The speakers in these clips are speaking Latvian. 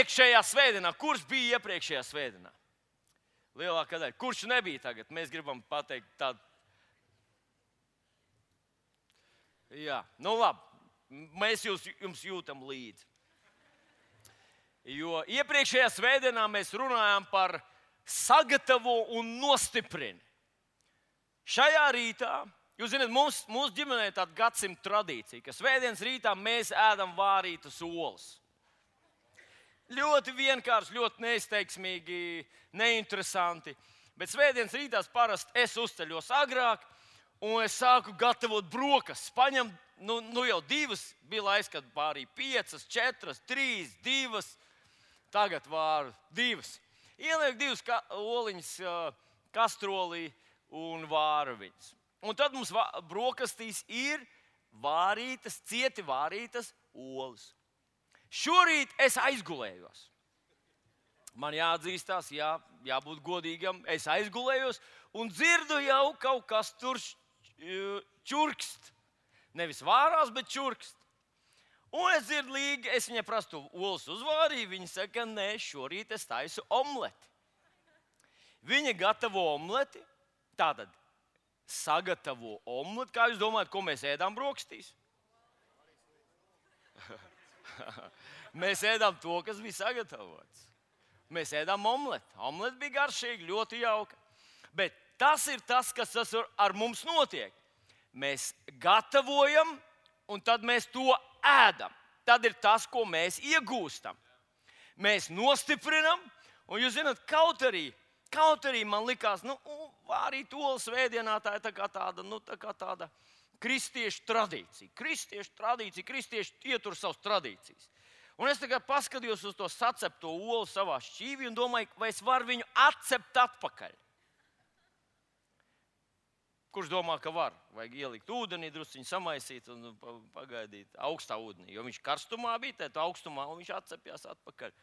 iepriekšējā svētdienā, kurš bija iepriekšējā svētdienā? Lielākā daļa. Kurš nebija tagad? Mēs gribam pateikt tādu. Jā, nu labi. Mēs jums jūtam līdzi. Jo iepriekšējā svētdienā mēs runājām par sagatavo un nostiprini. Šajā rītā, jūs zināt, mūsu ģimenē ir tāda gadsimta tradīcija, ka svētdienas rītā mēs ēdam vārītas olas. Ļoti vienkārši, ļoti neizteiksmīgi, neinteresanti. Bet svētdienas rītās parasti es uzceļos agrāk un es sāku gatavot brokastis. Paņem, nu jau 2, bija laiks, kad vārīja 5, 4, 3, 2. Tagad vāru 2. Ieliek 2 oliņas kastrolī un vāru viņas. Un tad mums brokastīs ir vārītas, cieti vārītas olas. Šorīt es aizgulējos. Man jāatzīstās, jābūt godīgam. Es aizgulējos un dzirdu jau kaut kas tur čurkst. Nevis vārās, bet čurkst. Un es dzirdu līgi, es viņai prastu olas uzvārīju. Viņa saka, nē, šorīt es taisu omleti. Viņa gatavo omleti. Tātad sagatavo omleti. Kā jūs domājat, ko mēs ēdām brokastīs? Mēs ēdām to, kas bija sagatavots. Mēs ēdām omleti. Omleti bija garšīga, ļoti jauka. Bet tas ir tas, kas ar mums notiek. Mēs gatavojam, un tad mēs to ēdam. Tad ir tas, ko mēs iegūstam. Mēs nostiprinam, un jūs zināt, kaut arī man likās, vārīt olas svētdienā tā ir tā kā tāda kristiešu tradīcija. Kristieši ietur savas tradīcijas. Un es tagad paskatījos uz to sacepto olu savā šķīvī un domāju, vai es varu viņu atcept atpakaļ. Kurš domā, ka var? Vajag ielikt ūdenī, drusciņu samaisīt un pagaidīt augstā ūdenī. Jo viņš karstumā bija, tad augstumā un viņš atcepjās atpakaļ.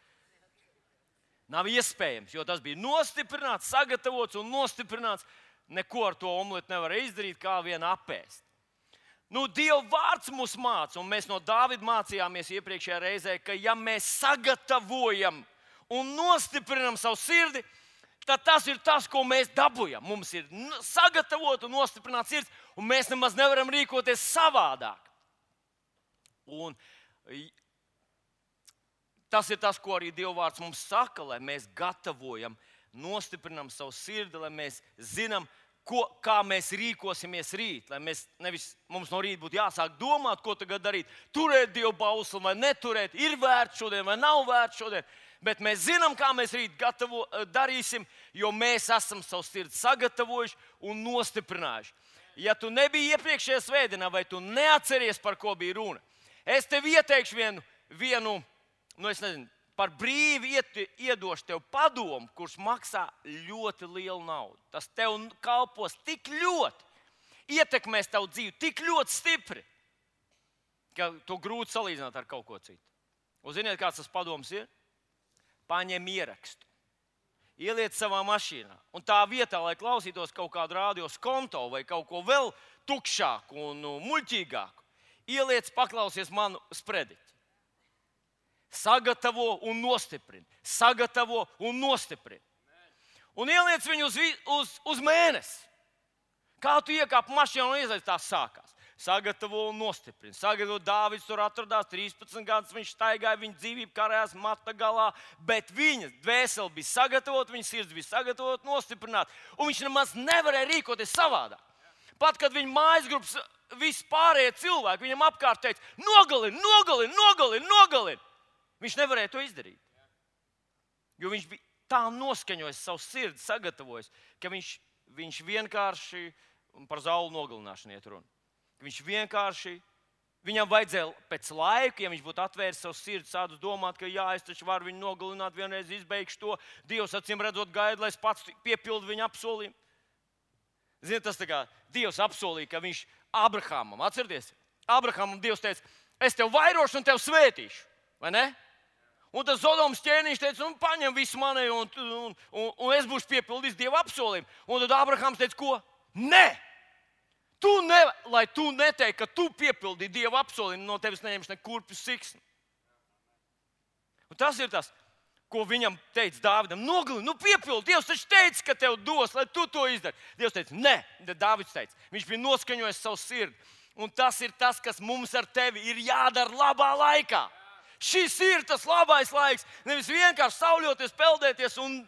Nav iespējams, jo tas bija nostiprināts, sagatavots un nostiprināts. Neko ar to omleti nevar izdarīt, kā vien apēst. Dieva vārds mūs māca, un mēs no Dāvida mācījāmies iepriekšējā reizē, ka ja mēs sagatavojam un nostiprinam savu sirdi, tad tas ir tas, ko mēs dabūjam. Mums ir sagatavot un nostiprināt sirds, un mēs nemaz nevaram rīkoties savādāk. Un tas ir tas, ko arī Dieva vārds mums saka, lai mēs gatavojam, nostiprinam savu sirdi, lai mēs zinām, kā mēs rīkosimies rīt. Lai mums no rīta būtu jāsāk domāt, ko tagad darīt. Turēt Dieva bausli vai neturēt, ir vērts šodien vai nav vērts šodien. Bet mēs zinām, kā mēs rīt darīsim, jo mēs esam savu sirdi sagatavojuši un nostiprinājuši. Ja tu nebija iepriekšējā svētdienā, vai tu neatceries, par ko bija runa, es tev ieteikšu vienu es nezinu, par brīvi iedošu tev padomu, kurš maksā ļoti lielu naudu. Tas tev kalpos tik ļoti, ietekmēs tavu dzīvi tik ļoti stipri, ka to grūti salīdzināt ar kaut ko citu. Un ziniet, kāds tas padoms ir? Paņem ierakstu, ieliec savā mašīnā. Un tā vietā, lai klausītos kaut kādu radio skonto vai kaut ko vēl tukšāku un muļķīgāku, ieliec, paklausies manu sprediķi. Sagatavo un nostiprini. Sagatavo un nostiprini. Un ieliec viņu uz mēnesi. Kā tu iekāp mašīnā un iesaist, tā sākās. Sagatavo un nostiprini. Sagatavo, Dāvids tur atradās 13 gadus, viņš staigāja, viņa dzīvība karājās mata galā, bet viņa dvēsele bija sagatavota, viņa sirds bija sagatavota, nostiprināta. Un viņš nemaz nevarēja rīkoties savādāk. Pat, kad viņa mājas grupas visi pārējie cilvēki viņam apkārt teica, nogalini. Viņš nevarēja to izdarīt. Jo viņš bija tā noskaņojis savu sirdi, sagatavojis, ka viņš vienkārši par zaulu nogalināšanu iet runa. Viņam vajadzēja pēc laika, ja viņš būtu atvēris savu sirdi, sācis domāt, ka es taču varu viņu nogalināt, vienreiz izbeigšu to. Dievs acīm redzot gaida, lai es pats piepildu viņa apsolījumu. Ziniet, tas tā kā Dievs apsolīja, ka viņš Abrahamam, atcerieties, Abrahamam Dievs teica, es tev vairošu un tev svētīšu, vai ne? Un tas Zodomas ķēniņš teica, paņem visu mani, un es būšu piepildījis Dieva apsolījumu. Un tad Abrahams teica, ko? Nē! Lai tu neteiksi, ka tu piepildīji Dieva apsolījumu, no tevis neņemšu ne kurpju siksni. Un tas ir tas. ko viņam teica Dāvidam, nogalini, piepildi, Dievs taču teica, ka tev dos, lai tu to izdari. Dievs teica, nē, Dāvids teica, viņš bija noskaņojis savu sirdi. Un tas ir tas, kas mums ar tevi ir jādara labā laikā. Šis ir tas labais laiks. Nevis vienkārši sauļoties, peldēties un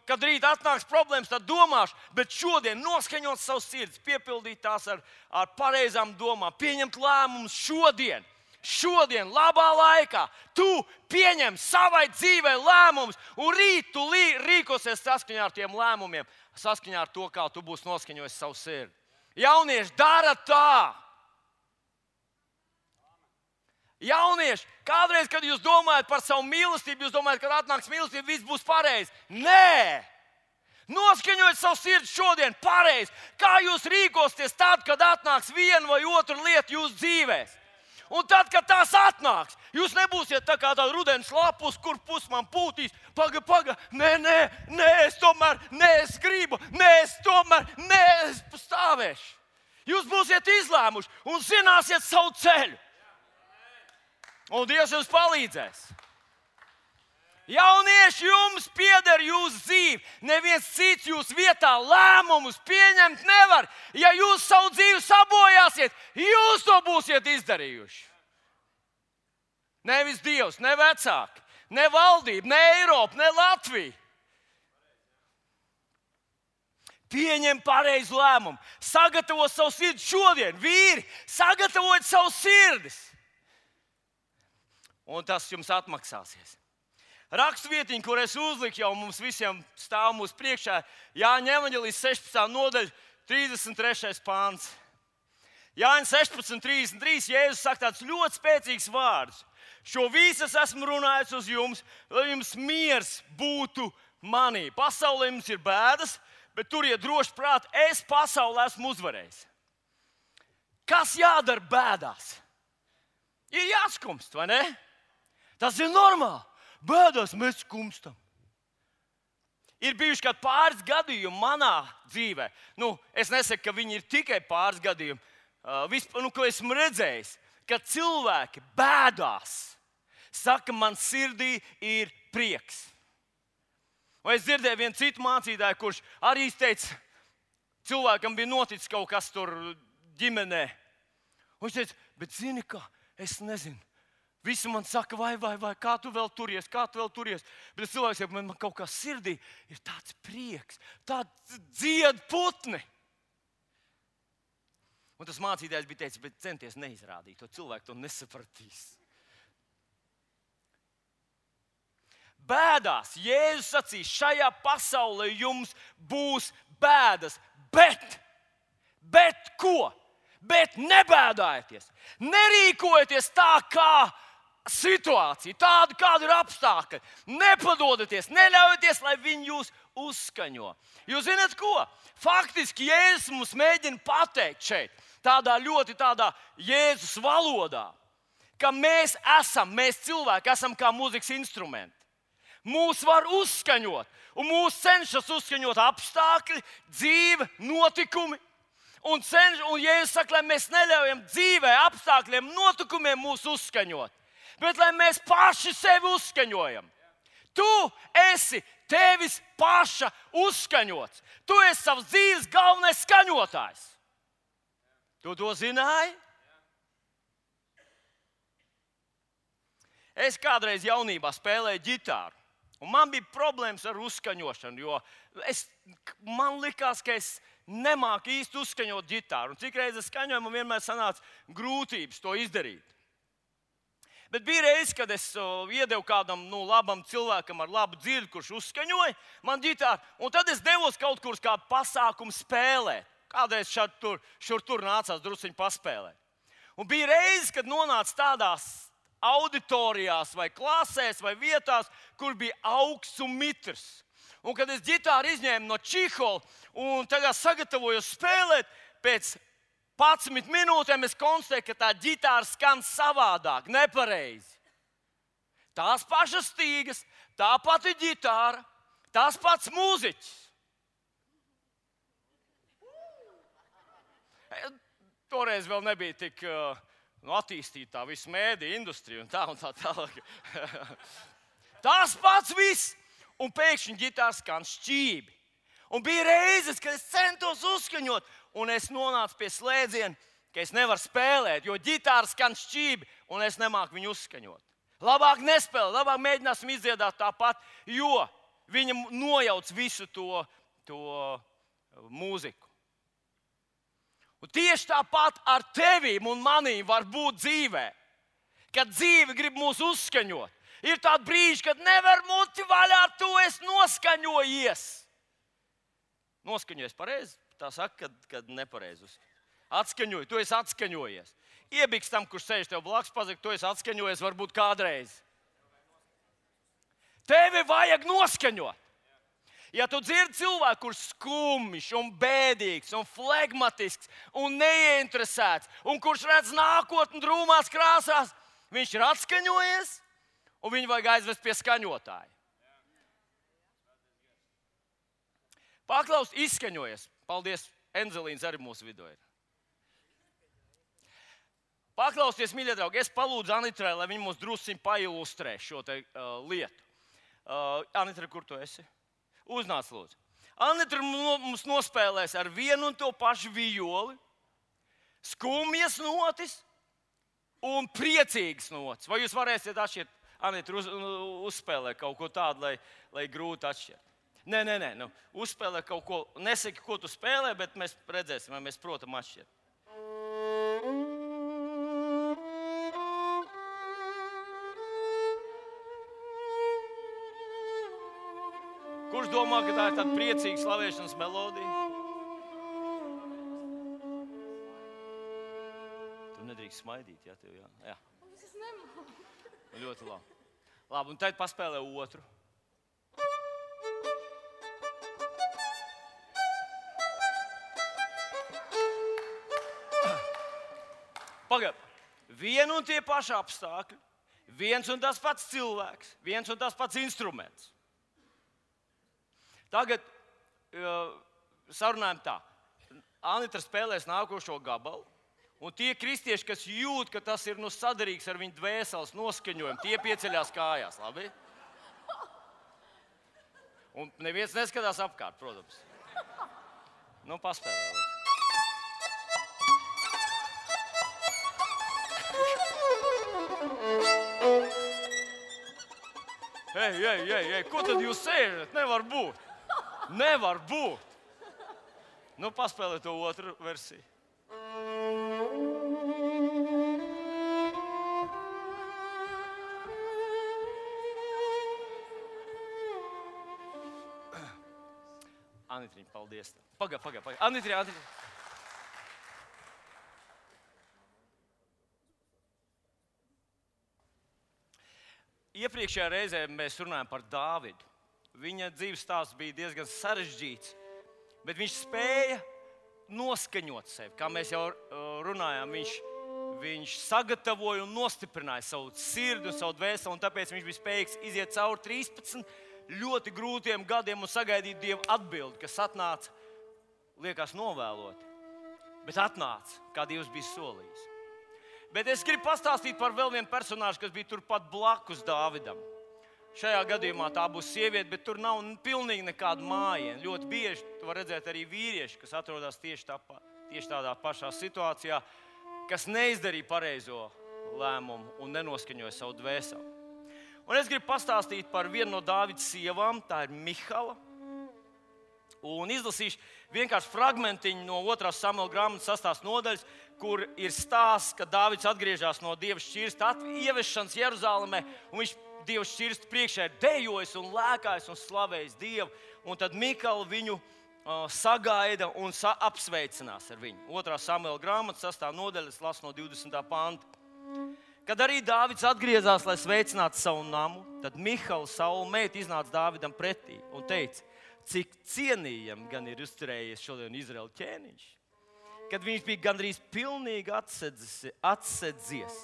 kad rīt atnāks problēmas, tad domāšu, bet šodien noskaņot savus sirdis, piepildīt tās ar pareizām domām, pieņemt lēmumus šodien. Šodien, labā laikā, tu pieņem savai dzīvei lēmumus, un rīt tu rīkosies saskaņā ar tiem lēmumiem, saskaņā ar to, kā tu būsi noskaņojis savu sirdi. Jaunieši, dara tā! Jaunieši, kādreiz, kad jūs domājat par savu mīlestību, jūs domājat, kad atnāks mīlestība, viss būs pareizi. Nē! Noskaņojiet savu sirdi šodien pareizi. Kā jūs rīkosieties tad, kad atnāks viena vai otra lieta jūsu dzīvēs? Un tad, kad tās atnāks, jūs nebūsiet tā kā tāda rudens lapus, kur pus man pūtīs. Paga, nē, es gribu, es stāvēšu. Jūs būsiet izlēmuši un zināsiet savu ceļu. Un Dievs jums palīdzēs. Jaunieši, jums pieder jūsu dzīve. Neviens cits jūsu vietā lēmumus pieņemt nevar. Ja jūs savu dzīvi sabojāsiet, jūs to būsiet izdarījuši. Nevis Dievs, ne vecāki, ne valdība, ne Eiropa, ne Latvija. Pieņem pareizu lēmumu. Sagatavo savu sirdi šodien. Vīri, sagatavojiet savu sirdis. Un tas jums atmaksāsies. Rakstvietiņa, kur es uzliku, jau mums visiem stāv mūsu priekšā, Jāņa evaņģēlijas 16. nodaļa, 33. pāns. Jāņa 16:33, Jēzus saka tāds ļoti spēcīgs vārds. Šo visu esmu runājis uz jums, lai jums miers būtu manī. Pasaulē jums ir bēdas, bet turiet droši prāt, es pasaulē esmu uzvarējis. Kas jādara bēdās? Ir jāskumst, vai ne? Tas ir normāli. Bēdās mēs skumstam. Ir bijuši kādi pāris gadījumi manā dzīvē. Es nesaku, ka viņi ir tikai pāris gadījumi. Ko esmu redzējis, ka cilvēki bēdās. Saka, man sirdī ir prieks. Un es dzirdēju vienu citu mācītāju, kurš arī teica, cilvēkam bija noticis kaut kas tur ģimenē. Un viņš teica, bet zini kā, es nezinu. Visi man saka, vai, kā tu vēl turies. Bet cilvēks saka, man kaut kā sirdī ir tāds prieks, tāds dzied putni. Un tas mācītājs bija teicis, bet centies neizrādīt, to cilvēku to nesapratīs. Bēdās, Jēzus sacīs, šajā pasaulē jums būs bēdas, bet ko? Bet nebēdājieties, nerīkojieties tā kā situācija, tāda, kāda ir apstākļi. Nepadodieties, neļaujieties, lai viņi jūs uzskaņo. Jūs zināt ko? Faktiski Jēzus mums mēģina pateikt šeit, tādā Jēzus valodā, ka mēs cilvēki esam kā mūzikas instrumenti. Mūs var uzskaņot, un mūs cenšas uzskaņot apstākļi, dzīve, notikumi. Un Jēzus saka, lai mēs neļaujam dzīvē, apstākļiem, notikumiem mūs uzskaņot. Bet lai mēs paši sevi uzskaņojam. Tu esi tevis paša uzskaņots. Tu esi savas dzīves galvenais skaņotājs. Tu to zināji? Es kādreiz jaunībā spēlēju ģitāru. Un man bija problēmas ar uzskaņošanu, jo man likās, ka es nemāku īsti uzskaņot ģitāru. Un cik reizes skaņoju, man vienmēr sanāca grūtības to izdarīt. Bet bija reize, kad es iedevu kādam labam cilvēkam ar labu dzirdi, kurš uzskaņoja man ģitāru, un tad es devos kaut kur uz kādu pasākumu spēlēt. Kādreiz šur tur nācās drusciņi paspēlēt. Un bija reize, kad nonāca tādās auditorijās vai klasēs vai vietās, kur bija augsts un mitrs. Un kad es ģitāru izņēmu no čihola un tagad sagatavojos spēlēt, pēc 11 minūtēm es konstatēju, ka tā ģitāra skan savādāk, nepareizi. Tās pašas stīgas, tā pati ģitāra, tās pats mūziķis. Toreiz vēl nebija tik attīstīta tā visa mēdīja industrija un tā tālāk. Tas pats viss. Un pēkšņi ģitāra skan šķībi. Un bija reizes, kad es centos uzskaņot, un es nonācu pie slēdziena, ka es nevaru spēlēt, jo ģitāra skan šķībi, un es nemāku viņu uzskaņot. Labāk nespēlēt, labāk mēģināsim izdziedāt tāpat, jo viņa nojauc visu to mūziku. Un tieši tāpat ar tevīm un manīm var būt dzīvē, kad dzīve grib mūs uzskaņot. Ir tādi brīži, kad nevar muti vaļā, tu esi noskaņojies. Noskaņojies pareizi? Tā saka, kad nepareizi. Atskaņoji, tu esi atskaņojies. Iebiks tam, kurš sēž tev blakus, pasaka, tu esi atskaņojies varbūt kādreiz. Tevi vajag noskaņot. Ja tu dzirdi cilvēku, kurš skumjš un bēdīgs un flegmatisks un neieinteresēts un kurš redz nākotni drūmās krāsās, viņš ir atskaņojies un viņu vajag aizvest pie skaņotāja. Paklaus, izskaņojies. Paldies, Enzelīns arī mūsu vidū ir. Paklausieties, mīļie draugi, es palūdzu Anitrai, lai viņa mums drusciņ pailustrē šo lietu. Anitra, kur tu esi? Uznāc, lūdzu. Anitra mums nospēlēs ar vienu un to pašu vijoli, skumjas notis un priecīgas notis. Vai jūs varēsiet atšķirt? Anitra uzspēlē kaut ko tādu, lai grūti atšķirt. Nē, uzspēlē kaut ko, nesaki, ko tu spēlē, bet mēs redzēsim, vai mēs protam atšķirt. Kurš domā, ka tā ir tāda priecīga slavēšanas melodija? Tu nedrīkst smaidīt, ja tev jā? Jā. Es nemāku. Ļoti labi. Labi, un tad paspēlē otru. Pagaid, vien un tie paši apstākļi, viens un tas pats cilvēks, viens un tas pats instruments. Tagad sarunājam tā. Anitra spēlēs nākošo gabalu, un tie kristieši, kas jūt, ka tas ir sadarīgs ar viņu dvēseles noskaņojumu, tie pieceļās kājās, labi? Un neviens neskatās apkārt, protams. Nu, paspēlē, lūdzu. Ei, ko tad jūs sēžat? Nevar būt. Nevar būt. Nu, paspēlē to otru versiju. Anitriņ, paldies. Pagaid. Anitriņ. Iepriekšējā reizē mēs runājām par Dāvidu. Viņa dzīves stāsts bija diezgan sarežģīts, bet viņš spēja noskaņot sevi. Kā mēs jau runājām, viņš sagatavoja un nostiprināja savu sirdi un savu dvēseli, un tāpēc viņš bija spējīgs iziet cauri 13 ļoti grūtiem gadiem un sagaidīt Dieva atbildi, kas atnāca, liekas, novēloti, bet atnāca, kā Dievs bija solījis. Bet es gribu pastāstīt par vēl vienu personāžu, kas bija turpat blakus Dāvidam. Šajā gadījumā tā būs sieviete, bet tur nav pilnīgi nekāda mājiena. Ļoti bieži tu vari redzēt arī vīrieši, kas atrodas tieši tādā pašā situācijā, kas neizdarīja pareizo lēmumu un nenoskaņoja savu dvēseli. Un es gribu pastāstīt par vienu no Dāvida sievām, tā ir Mihala. Un izlasīšu vienkārši fragmentiņu no 2. Samuela grāmatas 6. nodaļas, kur ir stāsts, ka Dāvids atgriežas no Dieva šķirsta ieviešanas Jeruzalemē, un viņš Dieva šķirsta priekšā ir dejojis un lēkājis un slavējis Dievu. Un tad Mikala viņu sagaida un apsveicinās ar viņu. 2. Samuela grāmatas 6. nodaļas lasu no 20. panta. Kad arī Dāvids atgriezās, lai sveicinātu savu namu, tad Mihala, Saula meita, iznāca Dāvidam pretī un teica: cik cienījami gan ir uzturējies šodien Izraēla ķēniņš, kad viņš bija gandrīz pilnīgi atsedzies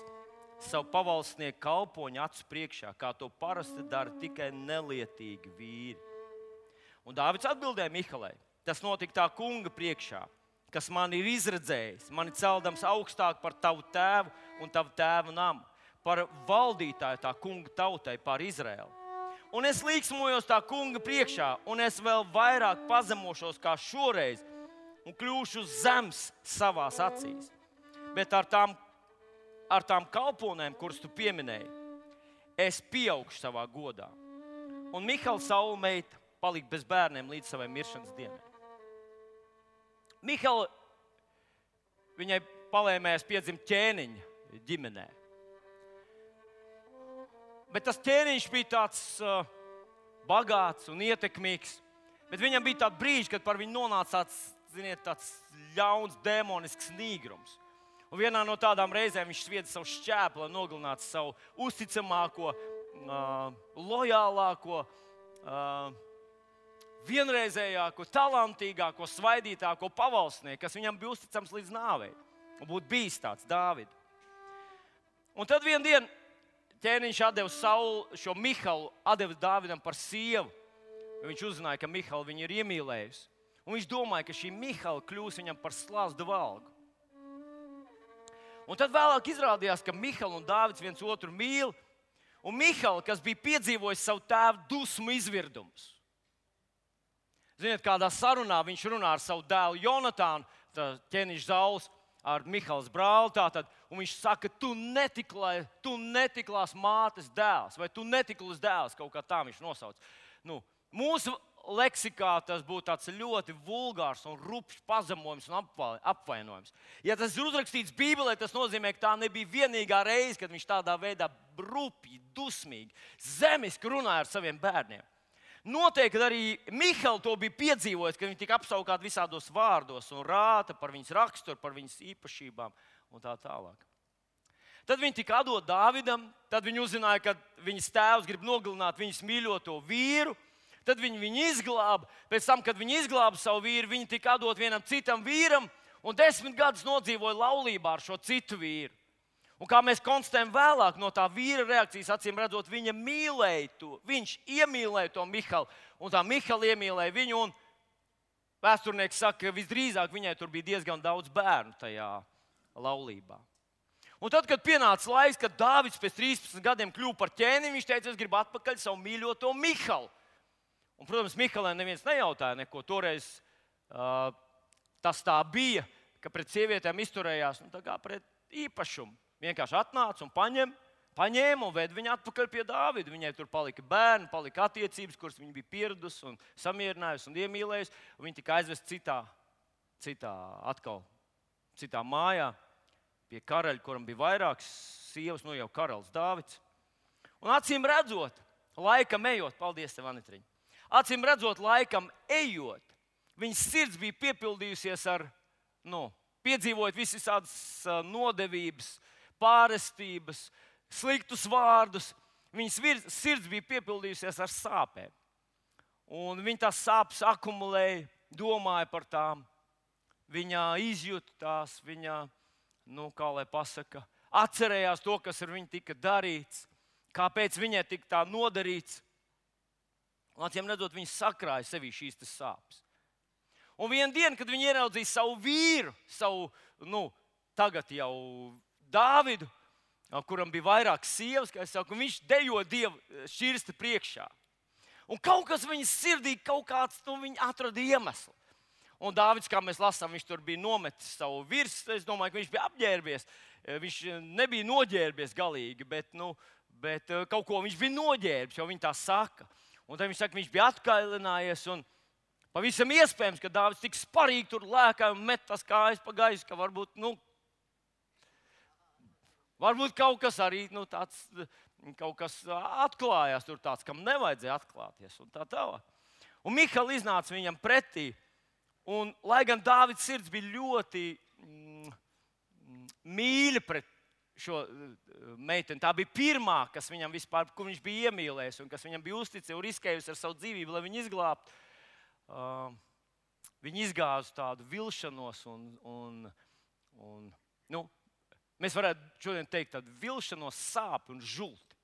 savu pavalsnieku kalpoņu acu priekšā, kā to parasti dara tikai nelietīgi vīri. Un Dāvids atbildēja Mihalai: tas notika tā kunga priekšā, kas man ir izredzējis, mani celdams augstāk par tavu tēvu un tavu tēvu namu, par valdītāju tā kunga tautai, par Izraēlu. Un es līksmojos tā kunga priekšā, un es vēl vairāk pazemošos kā šoreiz, un kļūšu zems savās acīs. Bet ar tām kalponēm, kuras tu pieminēji, es pieaugšu savā godā. Un Mihala Saula meita palika bez bērniem līdz savai miršanas dienai. Mihala, viņai palēmējās piedzimt ķēniņa ģimenē. Bet tas ķēniņš bija tāds bagāts un ietekmīgs. Bet viņam bija tāds brīdis, kad par viņu nonāca tāds ļauns, demonisks nīgrums. Un vienā no tādām reizēm viņš svieda savu šķēpu, lai nogalinātu savu uzticamāko, lojālāko, vienreizējāko, talantīgāko, svaidītāko pavalsnieku, kas viņam bija uzticams līdz nāvei. Un būtu bijis tāds Dāvidu. Un tad vienu dienu ķēniņš atdeva Saulu, šo Mihalu atdeva Dāvidam par sievu. Viņš uzzināja, ka Mihala viņu ir iemīlējusi. Un viņš domāja, ka šī Mihala kļūs viņam par slazdu valgu. Un tad vēlāk izrādījās, ka Mihala un Dāvids viens otru mīl. Un Mihala, kas bija piedzīvojis savu tēvu dusmu izvirdumus. Ziniet, kādā sarunā viņš runā ar savu dēlu Jonatānu, ķēniņš Sauls, ar Mihalas brāli, un viņš saka, tu netiklās mātes dēls, vai tu netiklas dēls, kaut kā tā viņš nosauc. Mūsu leksikā tas būtu tāds ļoti vulgārs un rupšs pazemojums un apvainojums. Ja tas ir uzrakstīts Bībelē, tas nozīmē, ka tā nebija vienīgā reize, kad viņš tādā veidā rupji, dusmīgi, zemiski runāja ar saviem bērniem. Noteikti arī Mihala to bija piedzīvojis, kad viņi tika apsaukāti visādos vārdos un rāta par viņas raksturu, par viņas īpašībām un tā tālāk. Tad viņi tika atdot Dāvidam, tad viņi uzzināja, ka viņas tēvs grib nogalināt viņas mīļoto vīru, tad viņi viņu izglāba. Pēc tam, kad viņi izglāba savu vīru, viņi tika atdot vienam citam vīram un 10 gadus nodzīvoja laulībā ar šo citu vīru. Un kā mēs konstatējam vēlāk no tā vīra reakcijas, acīm redzot, viņa mīlēja to. Viņš iemīlēja to Mihalu, un tā Mihala iemīlēja viņu. Un vēsturnieks saka, ka visdrīzāk viņai tur bija diezgan daudz bērnu tajā laulībā. Un tad, kad pienāca laiks, kad Dāvids pēc 13 gadiem kļuva par ķēniņu, viņš teica, es gribu atpakaļ savu mīļoto Mihalu. Un, protams, Mihalai neviens nejautāja neko. Toreiz tas tā bija, ka pret sievietēm izturējās tā kā pret īpašumu. Vienkārši atnāca un paņēma un veda viņu atpakaļ pie Dāvida. Viņai tur palika bērni, palika attiecības, kuras viņa bija pieradusi un samierinājusi un iemīlējusi. Un viņa tika aizvesta citā mājā pie karaļa, kuram bija vairākas sievas, jau karalis Dāvids. Un acīm redzot, laikam ejot, paldies tev, Anitriņ, acīm redzot, laikam ejot, viņas sirds bija piepildījusies ar, piedzīvojot visādas nodevības, pārestības, sliktus vārdus. Viņas sirds bija piepildījusies ar sāpēm. Un viņa tās sāpes akumulēja, domāja par tām. Viņa izjūta tās, viņa, kā lai pasaka, atcerējās to, kas ar viņu tika darīts, kāpēc viņai tika tā nodarīts. Un acīm redzot, viņa sakrāja sevī šīs sāpes. Un vienu dienu, kad viņa ieraudzīja savu vīru, tagad jau Dāvidu, kuram bija vairākas sievas, kā es saku, viņš dejo Dievu šķirsta priekšā. Un kaut kas viņas sirdī, viņa atrada iemeslu. Un Dāvids, kā mēs lasām, viņš tur bija nometis savu virsmu. Es domāju, ka viņš bija apģērbies. Viņš nebija noģērbies galīgi, bet kaut ko viņš bija noģērbis, jo viņi tā saka. Un tad viņš saka, viņš bija atkailinājies. Un pavisam iespējams, ka Dāvids tik sparīgi tur lēkāja un met tās kājas pa gaisu, ka varbūt kaut kas arī tāds, kaut kas atklājās tur tāds, kam nevajadzēja atklāties. Un tā tālāk. Un Mihala iznāca viņam pretī. Un, lai gan Dāvids sirds bija ļoti mīļa pret šo meiteni, tā bija pirmā, kas viņam vispār, kur viņš bija iemīlējis un kas viņam bija uzticējusi un riskējusi ar savu dzīvību, lai viņu izglābtu. Viņi izgāza tādu vilšanos un mēs varētu šodien teikt tādu vilšanos, sāpi un žulti.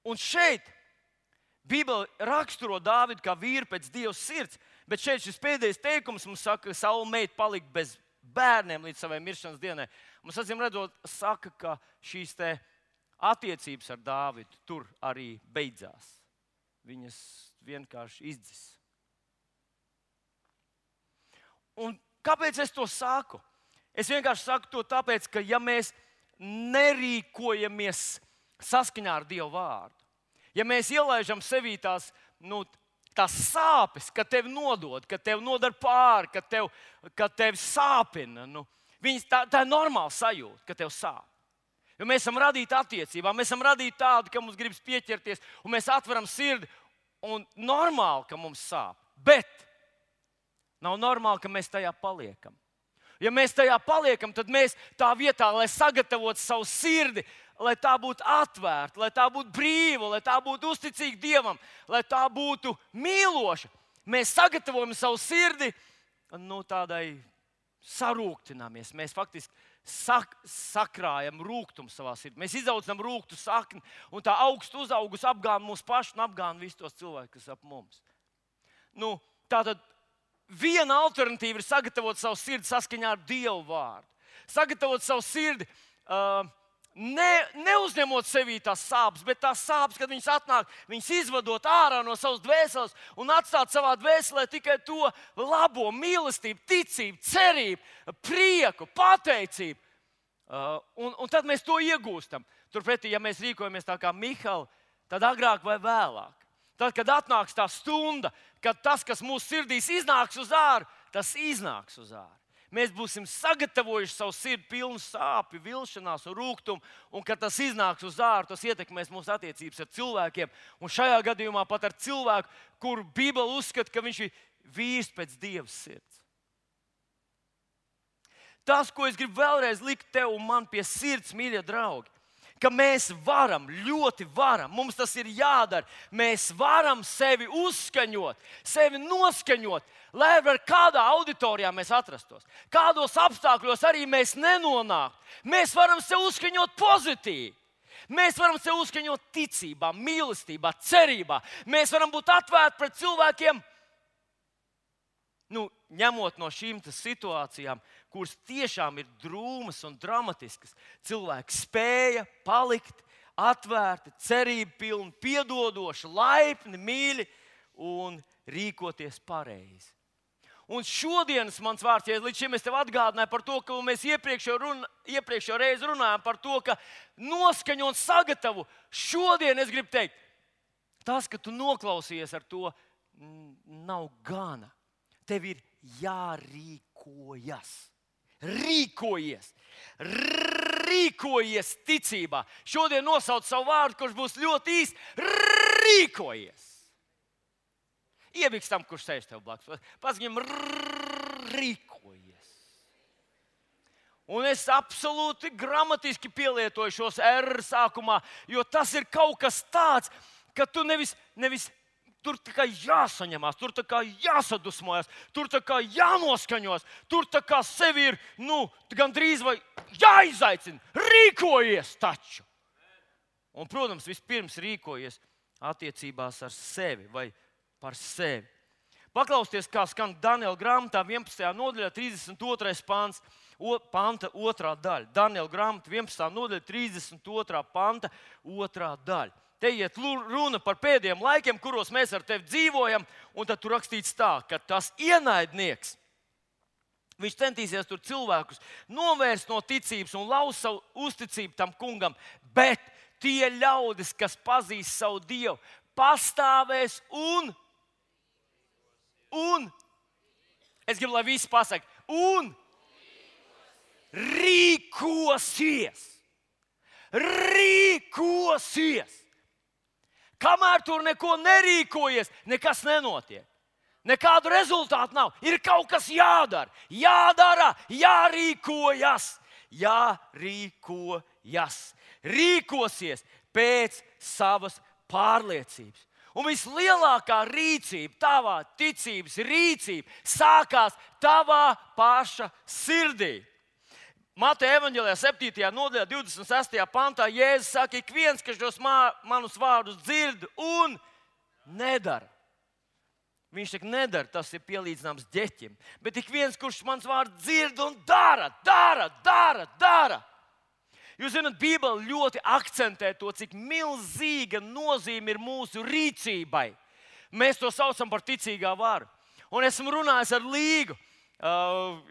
Un šeit Bībele raksturo Dāvidu kā vīru pēc Dieva sirds, bet šeit šis pēdējais teikums mums saka, ka Saula meita palika bez bērniem līdz savai miršanas dienai. Mums acīm redzot, saka, ka šīs attiecības ar Dāvidu tur arī beidzās. Viņas vienkārši izdzis. Un kāpēc es to saku? Es vienkārši saku to tāpēc, ka ja mēs nerīkojamies saskaņā ar Dieva vārdu, ja mēs ielaižam sevī tās sāpes, ka tevi nodod, ka tevi nodara pāri, ka tevi sāpina, tā ir normāla sajūta, ka tev sāp. Jo mēs esam radīti attiecībām, mēs esam radīti tādi, ka mums gribas pieķerties, un mēs atveram sirdi, un normāli, ka mums sāp. Bet nav normāli, ka mēs tajā paliekam. Ja mēs tajā paliekam, tad mēs tā vietā, lai sagatavotu savu sirdi, lai tā būtu atvērta, lai tā būtu brīva, lai tā būtu uzticīga Dievam, lai tā būtu mīloša, mēs sagatavojam savu sirdi tādai sarūktināmies. Mēs faktiski sakrājam rūgtumu savā sirdī. Mēs izaudzam rūgtu sakni, un tā augstu uzaugus apgāna mūsu pašu un apgāna visus tos cilvēkus, kas ap mums. Tātad viena alternatīva ir sagatavot savu sirdi saskaņā ar Dievu vārdu. Sagatavot savu sirdi, neuzņemot sevī tās sāpes, bet tās sāpes, kad viņas atnāk, viņas izvadot ārā no savas dvēseles un atstāt savā dvēselē tikai to labo, mīlestību, ticību, cerību, prieku, pateicību. Un tad mēs to iegūstam. Turpretī, ja mēs rīkojamies tā kā Mihāla, tad agrāk vai vēlāk. Tad, kad atnāks tā stunda, kad tas, kas mūsu sirdīs iznāks uz āru, tas iznāks uz āru. Mēs būsim sagatavojuši savu sirdi pilnu sāpju, vilšanās un rūgtumu, un kad tas iznāks uz āru, tas ietekmēs mūsu attiecības ar cilvēkiem. Un šajā gadījumā pat ar cilvēku, kuru Bībele uzskata, ka viņš ir vīrs pēc Dieva sirds. Tas, ko es gribu vēlreiz likt tev un man pie sirds, mīļie draugi, ka mēs varam, ļoti varam, mums tas ir jādara. Mēs varam sevi uzskaņot, sevi noskaņot, lai ar kādā auditorijā mēs atrastos. Kādos apstākļos arī mēs nenonāktu. Mēs varam sevi uzskaņot pozitīvi. Mēs varam sevi uzskaņot ticībā, mīlestībā, cerībā. Mēs varam būt atvērti pret cilvēkiem, ņemot no šīm situācijām, kuras tiešām ir drūmas un dramatiskas. Cilvēki spēja palikt atvērti, cerību pilni, piedodoši, laipni, mīļi un rīkoties pareizi. Un šodienas mans vārds, ja līdz šim es tev atgādināju par to, ka mēs iepriekšējo reizi runājām par to, ka noskaņot sagatavo. Šodien es gribu teikt, tas, ka tu noklausījies ar to, nav gana. Tev ir jārīkojas. Rīkojies ticībā. Šodien nosauc savu vārdu, kurš būs ļoti īsts. Rīkojies. Iebiks tam, kurš sēž tev blakus. Pats viņam rīkojies. Un es absolūti gramatiski pielietoju šos R sākumā, jo tas ir kaut kas tāds, ka tu nevis tur tā kā jāsaņemās, tur tā kā jāsadusmojas, tur tā kā jānoskaņos, tur tā kā sevi ir, gandrīz vai jāizaicina. Rīkojies taču! Un, protams, vispirms rīkojies attiecībās ar sevi vai par sevi. Paklausieties, kā skan Daniela grāmatā 11. nodaļā 32. panta 2. daļa. Daniela grāmata 11. nodaļa 32. panta 2. daļa. Te iet runa par pēdējiem laikiem, kuros mēs ar tevi dzīvojam, un tad tur rakstīts tā, ka tas ienaidnieks, viņš centīsies tur cilvēkus novērst no ticības un laust savu uzticību tam kungam, bet tie ļaudis, kas pazīst savu Dievu, pastāvēs un es gribu, lai visi pasaka, un rīkosies. Kamēr tur neko nerīkojies, nekas nenotiek. Nekādu rezultātu nav. Ir kaut kas jādara. Jārīkojas. Rīkosies pēc savas pārliecības. Un vislielākā rīcība, tavā ticības rīcība, sākās tavā paša sirdī. Mateja evaņģēlijā 7. nodaļā 26. pantā Jēzus saka, ik viens, kas šos manus vārdus dzird un nedara. Viņš saka, nedara, tas ir pielīdzināms ģeķim. Bet ik viens, kurš mans vārds dzird un dara. Jūs zināt, Bībele ļoti akcentē to, cik milzīga nozīme ir mūsu rīcībai. Mēs to saucam par ticīgā varu. Un esmu runājis ar Līgu,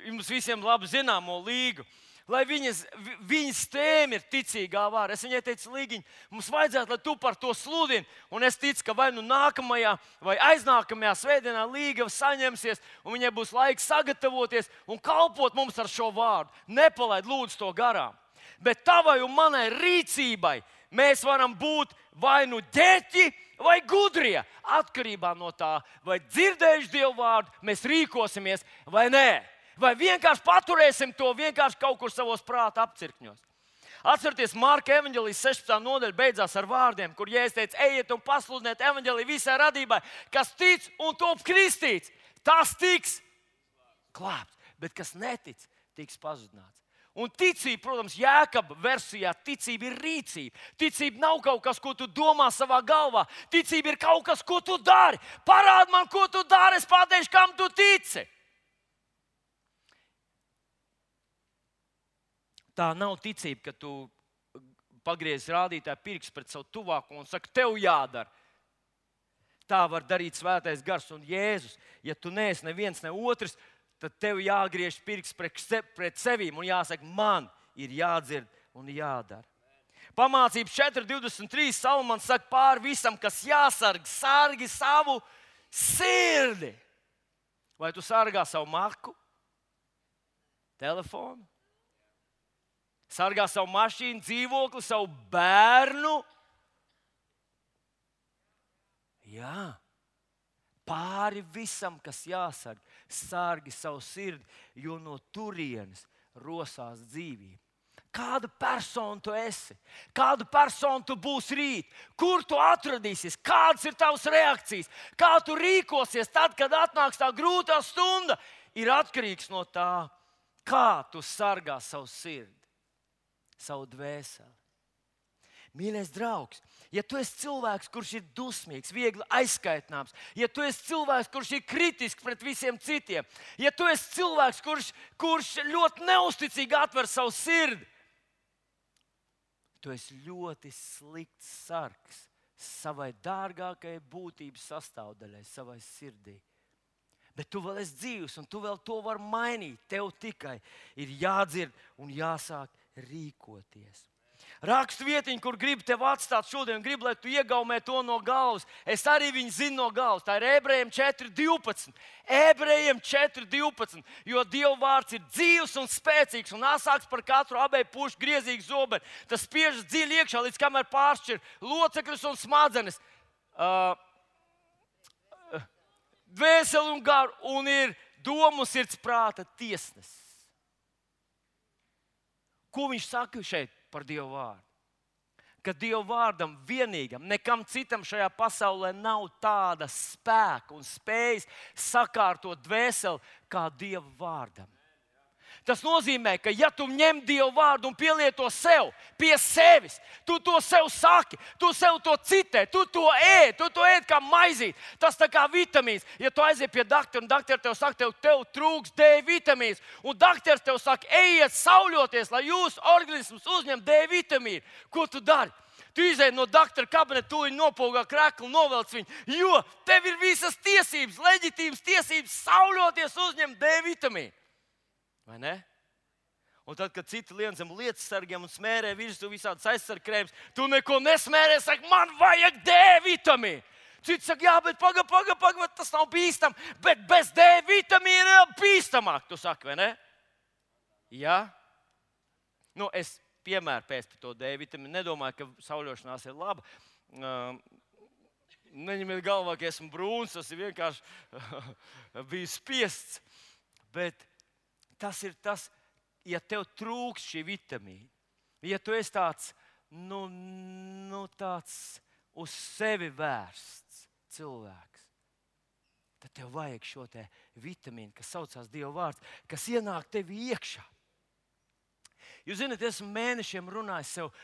jums visiem labi zināmo Līgu, lai viņas tēma ir ticīgā vara. Es viņai teicu, Līgiņ, mums vajadzētu, lai tu par to sludini. Un es ticu, ka vai nu nākamajā vai aiznākamajā svētdienā Līga saņemsies, un viņai būs laiks sagatavoties un kalpot mums ar šo vārdu. Nepalaid lūdzu to garām. Bet tavai un manai rīcībai mēs varam būt vai nu ģeķi, vai gudrie, atkarībā no tā, vai dzirdējuši Dievu vārdu, mēs rīkosimies vai nē. Vai vienkārši paturēsim to vienkārši kaut kur savos prāta apcirkņos. Atcerieties, Marka evaņģēlijas 16. nodaļa beidzās ar vārdiem, kur Jēzus teica, ejiet un pasludiniet evaņģēliju visai radībai, kas tic un top kristīts, tas tiks glābts, bet kas netic, tiks pazudināts. Un ticība, protams, Jēkaba versijā, ticība ir rīcība. Ticība nav kaut kas, ko tu domā savā galvā. Ticība ir kaut kas, ko tu dari. Parādi man, ko tu dari, es pateikšu, kam tu tici. Tā nav ticība, ka tu pagriezi rādītāju pirkstu pret savu tuvāko un saki, tev jādara. Tā var darīt Svētais Gars un Jēzus. Ja tu neesi neviens, ne otrs, tad tev jāgriež pirksts pret sevīm un jāsaka, man ir jādzird un jādara. Pamācības 4.23. Salomons saka, pāri visam, kas jāsarg, sargi savu sirdi. Vai tu sargā savu marku, telefonu, sargā savu mašīnu, dzīvokli, savu bērnu? Jā. Pāri visam, kas jāsarg, sargi savu sirdi, jo no turienes rosās dzīvība. Kāda persona tu esi? Kādu personu tu būsi rīt? Kur tu atradīsies? Kādas ir tavas reakcijas? Kā tu rīkosies tad, kad atnāks tā grūtā stunda? Ir atkarīgs no tā, kā tu sargā savu sirdi, savu dvēseli. Mīļais draugs, ja tu esi cilvēks, kurš ir dusmīgs, viegli aizskaitināms, ja tu esi cilvēks, kurš ir kritisks pret visiem citiem, ja tu esi cilvēks, kurš ļoti neusticīgi atver savu sirdi, tu esi ļoti slikts sargs savai dārgākajai būtības sastāvdaļai, savai sirdī. Bet tu vēl esi dzīvs un tu vēl to vari mainīt. Tev tikai ir jādzird un jāsāk rīkoties. Rakstu vietiņu, kur gribu tevi atstāt šodien, gribu, lai tu iegaumē to no galvas. Es arī viņu zinu no galvas. Tā ir Ebrejiem 4.12. Ebrejiem 4.12. Jo Dieva vārds ir dzīvs un spēcīgs un asāks par katru abēju pušu griezīgu zobenu. Tas spiežas dziļi iekšā, līdz kamēr pāršķir locekļus un smadzenes. Dvēseli un garu un ir domu sirds prāta tiesnesis. Ko viņš saka šeit par Dievu vārdu? Ka Dievu vārdam vienīgam, nekam citam šajā pasaulē nav tāda spēka un spējas sakārtot dvēseli kā Dieva vārdam. Tas nozīmē, ka ja tu ņem Dievu vārdu un pielieto sev, pie sevis, tu to sev saki, tu sev to citē, tu to ēd kā maizīt. Tas tā kā vitamīns. Ja tu aiziet pie doktora un doktors tev saka, tev trūks D vitamīns, un doktors tev saka, ejiet sauļoties, lai jūsu organisms uzņem D vitamīnu, ko tu dari? Tu izēji no doktora kabineta, tu viņu nopogā kreklu, novelc viņu, jo tev ir visas tiesības, leģitīmas tiesības sauļoties, uzņemt D vitamīnu. Vai ne? Un tad, kad citi lien zem lietas sargiem un smērē virsū visādas aizsargkrēmas, tu neko nesmērē, saka, man vajag D vitamīnu. Citi saka, jā, bet paga, tas nav bīstam, bet bez D vitamīna ir bīstamāk, tu saki, vai ne? Jā? Nu, es piemēru pēc par to D vitamīnu, nedomāju, ka sauļošanās ir laba. Neņemiet galvā, ka esmu brūns, tas ir vienkārši bijis spiests, bet tas ir tas, ja tev trūks šī vitamīna, ja tu esi tāds, tāds uz sevi vērsts cilvēks, tad tev vajag šo te vitamīnu, kas saucās Dieva vārds, kas ienāk tevi iekšā. Jūs zināt, esmu mēnešiem runājis sev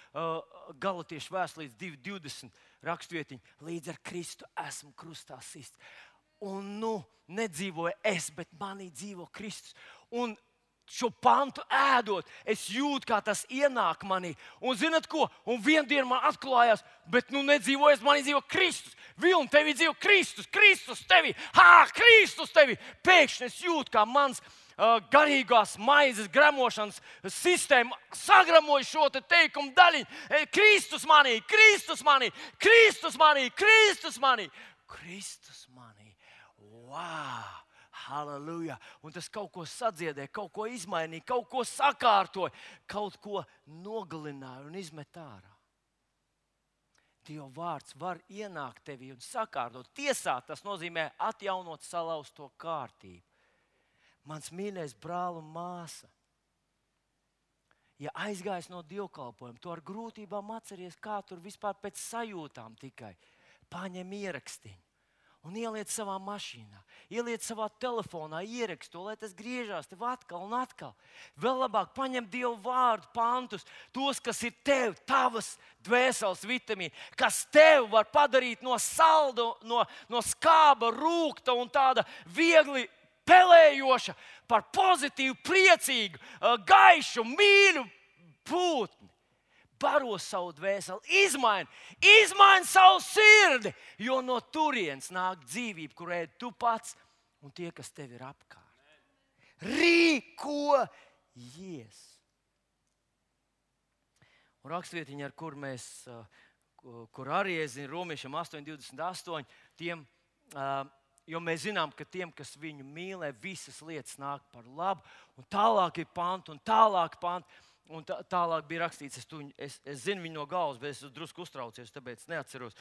Galatiešu vēstulē 2.20 rakstvietiņu, līdz ar Kristu esmu krustā sists. Un nedzīvoju es, bet manī dzīvo Kristus. Un šo pantu ēdot, es jūtu, kā tas ienāk manī. Un zinat ko? Un vienā dienā man atklājās, bet nedzīvojas, manī dzīvo Kristus. Vilni, tevī dzīvo Kristus, Kristus tevī. Kristus tevī. Pēkšņi es jūtu, kā mans garīgās maizes gremošanas sistēma sagramoja šo teikumu daļiņu. Kristus manī, Kristus manī, Kristus manī, Kristus manī, Kristus manī. Wow! Halleluja! Un tas kaut ko sadziedēja, kaut ko izmainīja, kaut ko sakārtoja, kaut ko nogalināja un izmet ārā. Dieva vārds var ienākt tevī un sakārtot. Tiesāt, tas nozīmē atjaunot salauzto kārtību. Mans mīļais brāl un māsa, ja aizgājis no dievkalpojuma, tu ar grūtībām atceries, kā tur vispār pēc sajūtām tikai. Paņem ierakstiņu un ieliec savā mašīnā, ieliec savā telefonā, ierakstu to, lai tas griežās tev atkal un atkal. Vēl labāk paņem Dievu vārdu pantus, tos, kas ir tev, tavas dvēseles vitamīni, kas tev var padarīt no salda, no skāba, rūkta un tāda viegli pelējoša par pozitīvu, priecīgu, gaišu, mīļu pūtni. Baro savu dvēseli, izmaini savu sirdi, jo no turienes nāk dzīvība, kur ēd tu pats un tie, kas tev ir apkārt. Rīkojies! Un rakstvietiņa, ar kur arī es zinu, Romiešiem 8:28, tiem, jo mēs zinām, ka tiem, kas viņu mīlē, visas lietas nāk par labu, un tālāk ir panti, un tālāk panti. Un tālāk bija rakstīts, es zinu viņu no galvas, bet es drusku uztraucies, tāpēc neatceros.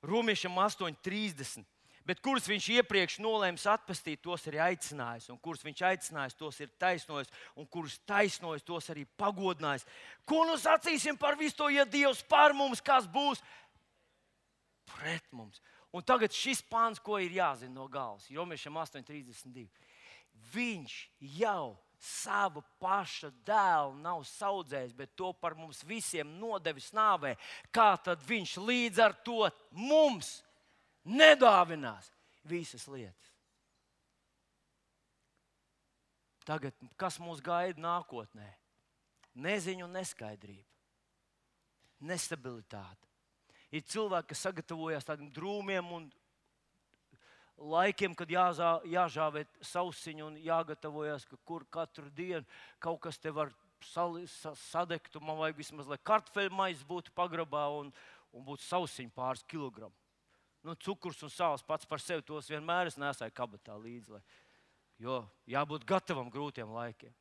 Romiešiem 8:30. Bet kurus viņš iepriekš nolēms atpestīt, tos arī aicinājis. Un kurus viņš aicinājis, tos ir taisnojis. Un kurus taisnojis, tos arī pagodinājis. Ko nu sacīsim par visu to, ja Dievs par mums, kas būs pret mums? Un tagad šis pāns, ko ir jāzina no galvas. Romiešiem 8:32. Viņš jau savu paša dēlu nav saudzējis, bet to par mums visiem nodevis nāvē. Kā tad viņš līdz ar to mums nedāvinās visas lietas? Tagad, kas mūs gaida nākotnē? Neziņa un neskaidrība. Nestabilitāte. Ir cilvēki, kas sagatavojas tādiem drūmiem un laikiem, kad jāžāvē sausiņu un jāgatavojas, ka kur katru dienu kaut kas te var sadegt. Man vajag vismaz, lai kartupeļu maizes būtu pagrabā un būtu sausiņu pāris kilogramu. Cukurs un sāls pats par sevi tos vienmēr es nesāju kabatā līdzi, jo jābūt gatavam grūtiem laikiem.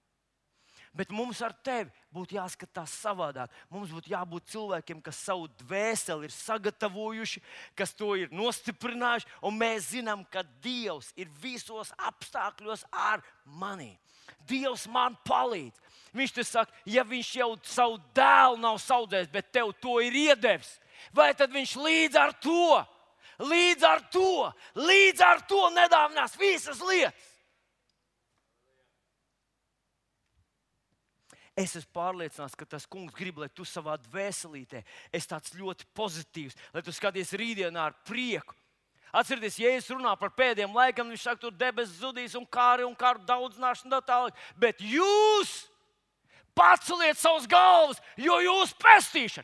Bet mums ar tevi būtu jāskatās savādāk. Mums būtu jābūt cilvēkiem, kas savu dvēseli ir sagatavojuši, kas to ir nostiprinājuši, un mēs zinām, ka Dievs ir visos apstākļos ar mani. Dievs man palīdz. Viņš te saka, ja viņš jau savu dēlu nav saudzējis, bet tev to ir iedevis, vai tad viņš līdz ar to nedāvinās visas lietas? Es esmu pārliecināts, ka tas kungs grib, lai tu savā dvēselītē esi tāds ļoti pozitīvs, lai tu skaties rītdienā ar prieku. Atcerieties, Jēzus runā par pēdējiem laikam, viņš saka, tur debesis zudīs un kāri daudzināšana un tā tālāk. Bet jūs paceliet savus galvas, jo jūs pestīšana.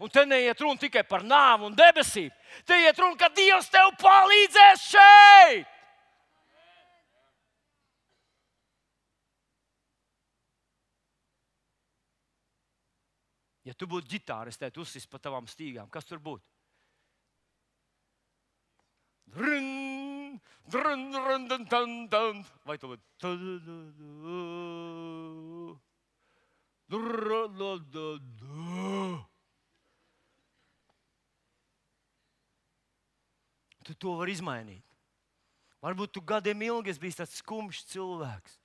Un te neiet runa tikai par nāvi un debesīm. Te iet runa, ka Dievs tev palīdzēs šeit. Ja tu būtu ģitāris, tad uzsis pa tavām stīgām. Kas tur būtu? Vai tu būtu? Tu to vari izmainīt. Varbūt tu gadiem ilgi esi bijis tāds skumjš cilvēks.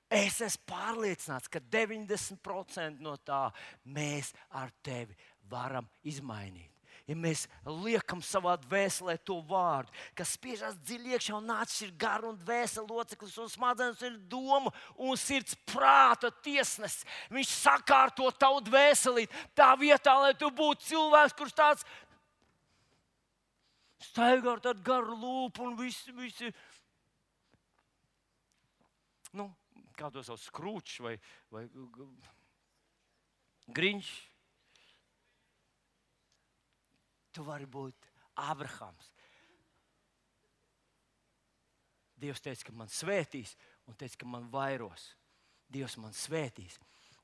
Es esmu pārliecināts, ka 90% no tā mēs ar tevi varam izmainīt. Ja mēs liekam savā dvēselē to vārdu, kas spiežās dziļi iekšā un atšķir garu un dvēseli loceklis un smadzenes ir doma un sirds prāta tiesnesis. Viņš sakārto tavu dvēselī tā vietā, lai tu būtu cilvēks, kurš tāds staigā ar tādu garu lūpu un visi kā to sauc, Skrūčs vai Griņš. Tu vari būt Abrahams. Dievs teica, ka man svētīs, un teica, ka man vairos. Dievs man svētīs.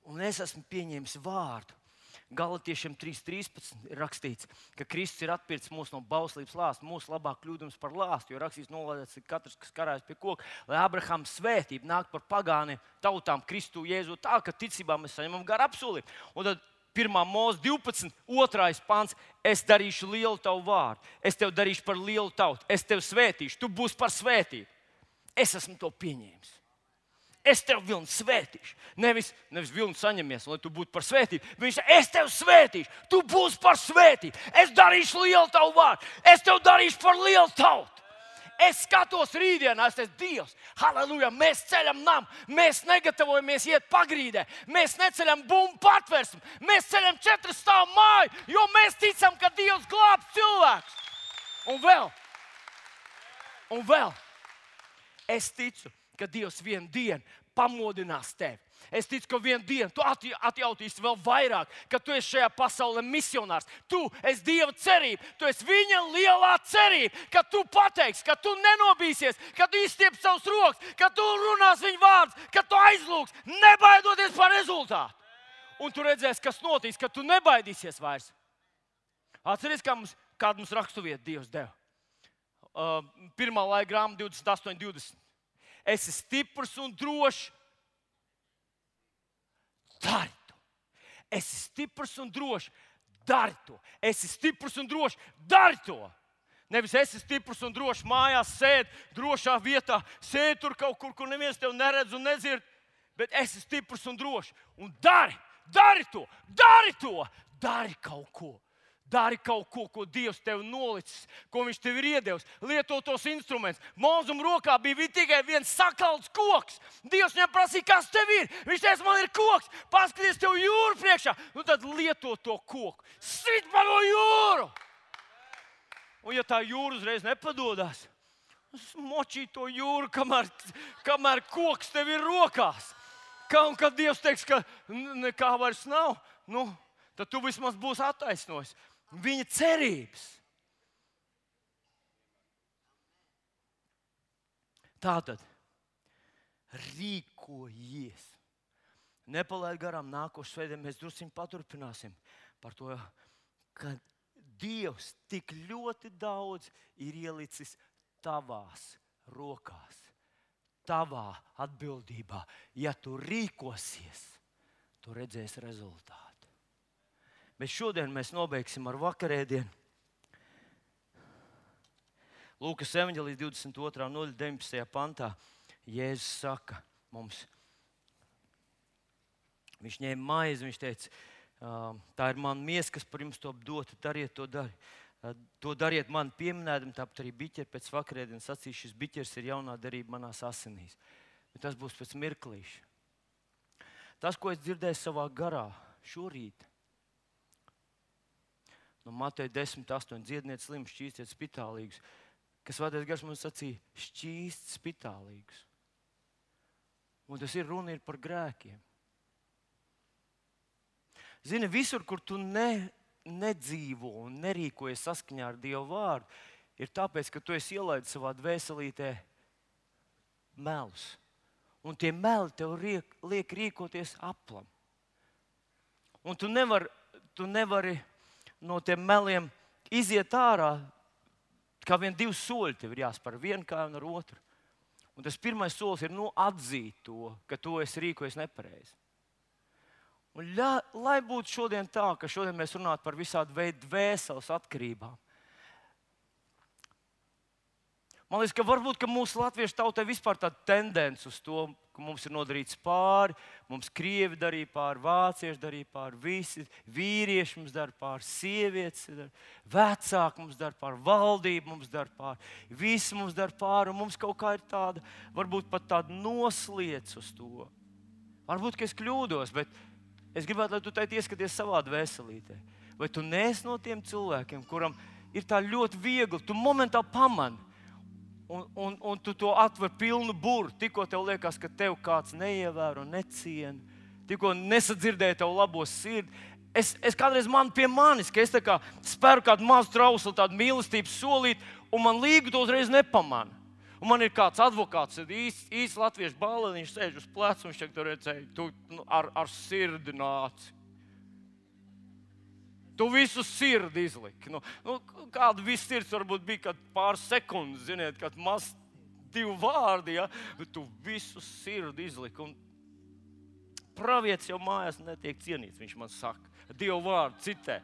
Un es esmu pieņēmis vārdu. Galatiešiem 3.13 ir rakstīts, ka Kristus ir atpircis mūs no bauslības lāsta, mūsu labāk kļūdams par lāstu, jo rakstīts nolādēts ir katrs, kas karājas pie koka, lai Abrahama svētība nāk par pagāniem tautām Kristu Jēzu tā, ka ticībā mēs saņemam garu apsolību. Un tad 1. Mūzes 12, 2. pants, es darīšu lielu tavu vārdu, es tev darīšu par lielu tautu, es tev svētīšu, tu būsi par svētību. Es esmu to pieņēmis. Es tev vilnu svētīšu. Nevis vilnu saņemies, lai tu būtu par svētību. Viņš saka, es tev svētīšu, tu būsi par svētību. Es darīšu lielu tavu vārdu, es tev darīšu par lielu tautu. Es skatos rītdienā, es esmu Dievs. Halleluja, mēs ceļam namu, mēs negatavojamies iet pagrīdē, mēs neceļam bumbu patversmu, mēs ceļam 4 stāvu māju, jo mēs ticam, ka Dievs glābs cilvēkus. Un vēl, es ticu, ka Dievs vienu dienu pamodinās tevi. Es ticu, ka vienu dienu tu atjautīsi vēl vairāk, ka tu esi šajā pasaulē misionārs. Tu esi Dieva cerība, tu esi viņa lielā cerība, ka tu pateiksi, ka tu nenobīsies, ka tu izstieps savus rokas, ka tu runās viņa vārdus, ka tu aizlūgs, nebaidoties par rezultātu. Un tu redzēsi, kas notiks, ka tu nebaidīsies vairs. Atceries, kādu mums raksturvietu Dievs deva. 1. laika grāmata 28.20. Esi stiprs un drošs. Dari to. Esi stiprs un drošs. Dari to. Esi stiprs un drošs. Dari to. Nevis esi stiprs un drošs mājās, sēdi drošā vietā, sēdi tur kaut kur, kur neviens tevi neredz un nedzird, bet esi stiprs un drošs. Un dari to. Dari kaut ko. Dari kaut ko, ko Dievs tev nolicis, ko viņš tev ir iedevis. Lieto tos instrumentus. Mūzum rokā bija tikai viens sakalts koks. Dievs viņam prasīja, kas tev ir. Viņš teica, man ir koks. Paskaties tev jūru priekšā. Nu tad lieto to koku. Sit pa no jūru. Un ja tā jūra uzreiz nepadodas, močī to jūru, kamēr koks tev ir rokās. Un kad Dievs teiks, ka nekā vairs nav, tad tu vismaz būsi attaisnojis viņa cerības. Tātad rīkojies. Nepalaid garām nākošu svētdienu, mēs drusciņ paturpināsim par to, ka Dievs tik ļoti daudz ir ielicis tavās rokās, tavā atbildībā. Ja tu rīkosies, tu redzēsi rezultātu. Bet šodien mēs nobeigsim ar vakarēdienu. Lūkas evaņģēlijas 22. nodaļa 19. pantā Jēzus saka mums, viņš ņēma maizi, viņš teica, tā ir mana miesa, kas par jums to dota, dariet to dari. To dariet man pieminēdam, tāpat arī biķeri pēc vakarēdienas sacīs, šis biķers ir jaunā derība manās asinīs. Bet tas būs pēc mirklīša. Tas, ko es dzirdēju savā garā šorīt, no Mateja 10.8. dziedniet slimus, šķīstiet spitālīgus, kas Svētais Gars mums sacīja, šķīst spitālīgus. Un tas ir runa par grēkiem. Zini, visur, kur tu nedzīvo un nerīkojies saskaņā ar Dieva vārdu, ir tāpēc, ka tu esi ielaidis savā dvēselītē melus. Un tie meli tev liek rīkoties aplam. Un tu nevari no tiem meliem iziet ārā, kā vien 2 soļi tev ir jāspēr, vienu kāju un ar otru. Un tas pirmais solis ir atzīt to, ka tu esi rīkojies nepareizi. Un lai būtu šodien tā, ka šodien mēs runātu par visādu veidu dvēseles atkarībām. Man liekas, ka varbūt ka mūsu latviešu tautai vispār tāda tendence uz to, ka mums ir nodarīts pāri, mums krievi darīja pāri, vācieši darīja pāri, visi vīrieši mums dara pāri, sievietes, vecāki mums dara pāri, valdība mums dara pāri, visi mums dara pāri, un mums kaut kā ir tāda, varbūt pat tāda nosliec uz to. Varbūt, ka es kļūdos, bet es gribētu, lai tu tai ieskaties savā dvēselītē. Vai tu neesi no tiem cilvēkiem, kuram ir tā ļoti viegli, tu momentā pamani, un tu to atver pilnu buru, tikko tev liekas, ka tev kāds neievēro, neciena, tikko nesadzirdēja tev labo sirdi. Es kādreiz pie manis, ka es tā kā speru kādu mazu trauslu, tādu mīlestības solīti, un man līgu to uzreiz nepamana. Un man ir kāds advokāts, īsts latviešu balli, viņš sēž uz pleca, un viņš tur redzēja, tu ar sirdi nāci. Tu visu sirdi izliki. Kāda viss sirds varbūt bija kad pāris sekundes, ziniet, kad maz 2 vārdi, ja? Bet tu visu sirdi izliki. Un pravietis jau mājās netiek cienīts, viņš man saka. 2 vārdu citē.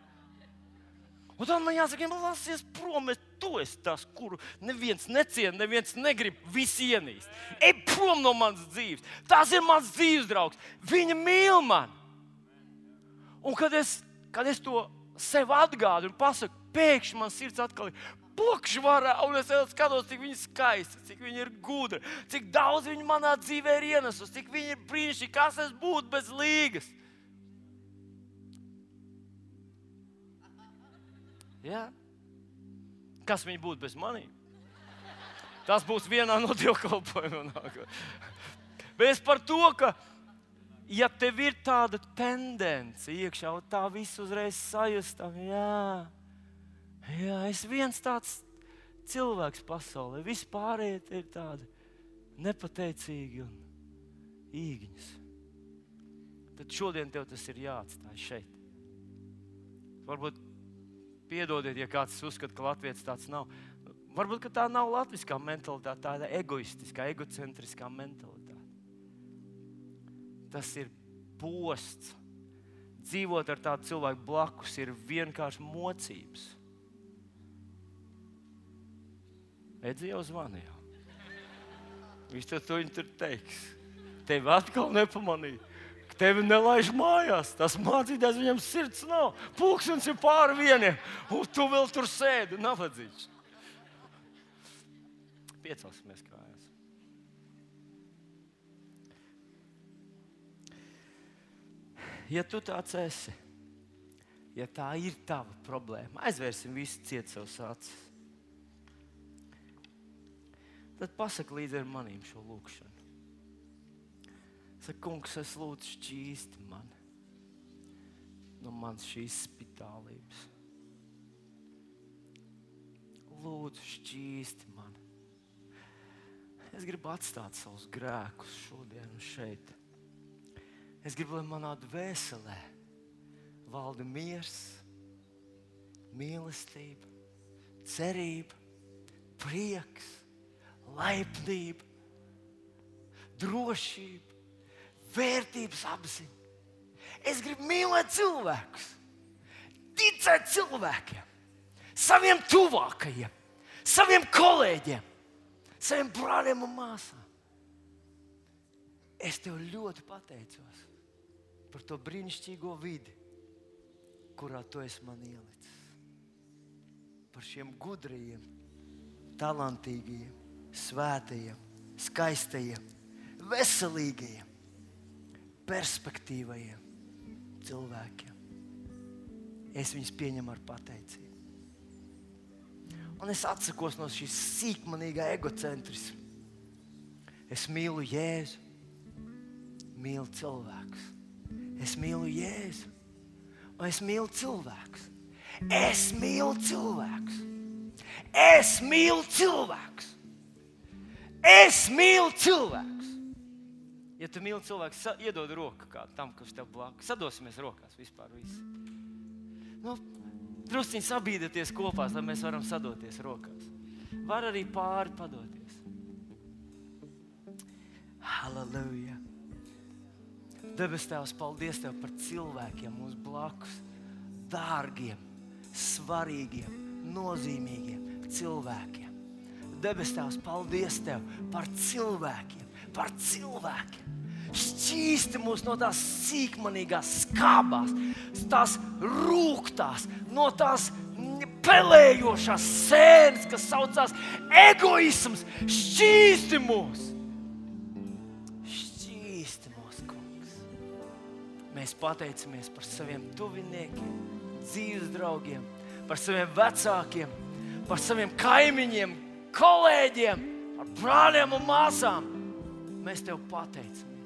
Un tad man jāsaka, lasies prom, tu esi tas, kuru neviens neciena, neviens negrib, visi ienīst. Ej prom no manas dzīves. Tas ir mans dzīves draugs. Viņa mīl man. Un kad es to sev atgādu un pasaku, pēkšņi man sirds atkal ir pokšvarā, un es skatos, cik viņa skaista, cik viņa ir gudra, cik daudz viņa manā dzīvē ir ienesus, cik viņa ir brīnišķīga, kas es būtu bez līgas. Jā? Kas viņa būtu bez manīm? Tas būs vienā no dievkalpojumiem. Bet es par to, ka ja tev ir tāda tendence iekšā, un tā visu uzreiz sajustam, jā, es viens tāds cilvēks pasaulē, vispārējie ir tādi nepateicīgi un īgņas. Tad šodien tev tas ir jāatstāj šeit. Varbūt piedodiet, ja kāds uzskata, ka latvietis tāds nav. Varbūt, ka tā nav latviskā mentalitāte, tāda egoistiskā, egocentriskā mentalitāte. Tas ir posts. Dzīvot ar tādu cilvēku blakus ir vienkārši mocības. Edzi jau zvanīja. Viņš to viņu tur teiks. Tevi atkal nepamanīja. Tevi nelaiž mājās. Tas mācītājs viņam sirds nav. Pulkstens ir pāri 1, un tu vēl tur sēdi, nabadzīgs. Piecelsimies kājās. Ja tu tāds esi, ja tā ir tava problēma, aizvērsim visu ciet savus acis. Tad pasaki līdzi ar manīm šo lūkšanu. Saka, kungs, es lūdzu šķīsti mani no manas šīs spitālības. Lūdzu šķīsti mani. Es gribu atstāt savus grēkus šodien un šeit. Es gribu, lai manā dvēselē valda miers, mīlestība, cerība, prieks, laipnība, drošība, vērtības apziņa. Es gribu mīlēt cilvēkus, ticēt cilvēkiem, saviem tuvākajiem, saviem kolēģiem, saviem brāļiem un māsām. Es tev ļoti pateicos par to brīnišķīgo vidi, kurā tu esi man ielicis. Par šiem gudrajiem, talantīgajiem, svētajiem, skaistajiem, veselīgajiem, perspektīvajiem cilvēkiem. Es viņus pieņemu ar pateicību. Un es atsakos no šīs sīkmanīgā egocentrisma. Es mīlu Jēzu, mīlu cilvēkus. Es mīlu Jēzu, un es mīlu cilvēkus. Es mīlu cilvēkus. Es mīlu cilvēkus. Es mīlu cilvēkus. Ja tu mīli cilvēkus, iedod roku kādu tam, kas tev blakus. Sadosimies rokās vispār visi. Drusciņi sabīdieties kopās, lai mēs varam sadoties rokās. Var arī pāri padoties. Halleluja. Debes Tēvs, paldies Tev par cilvēkiem mums blakus. Dārgiem, svarīgiem, nozīmīgiem cilvēkiem. Debes Tēvs, paldies Tev par cilvēkiem, par cilvēkiem. Šķīsti mūs no tās sīkmanīgās skābās, tās rūktās, no tās pelējošās sēnes, kas saucās egoisms. Šķīsti mūs! Mēs pateicamies par saviem tuviniekiem, dzīves draugiem, par saviem vecākiem, par saviem kaimiņiem, kolēģiem. ar brāļiem un māsām. Mēs tev pateicamies.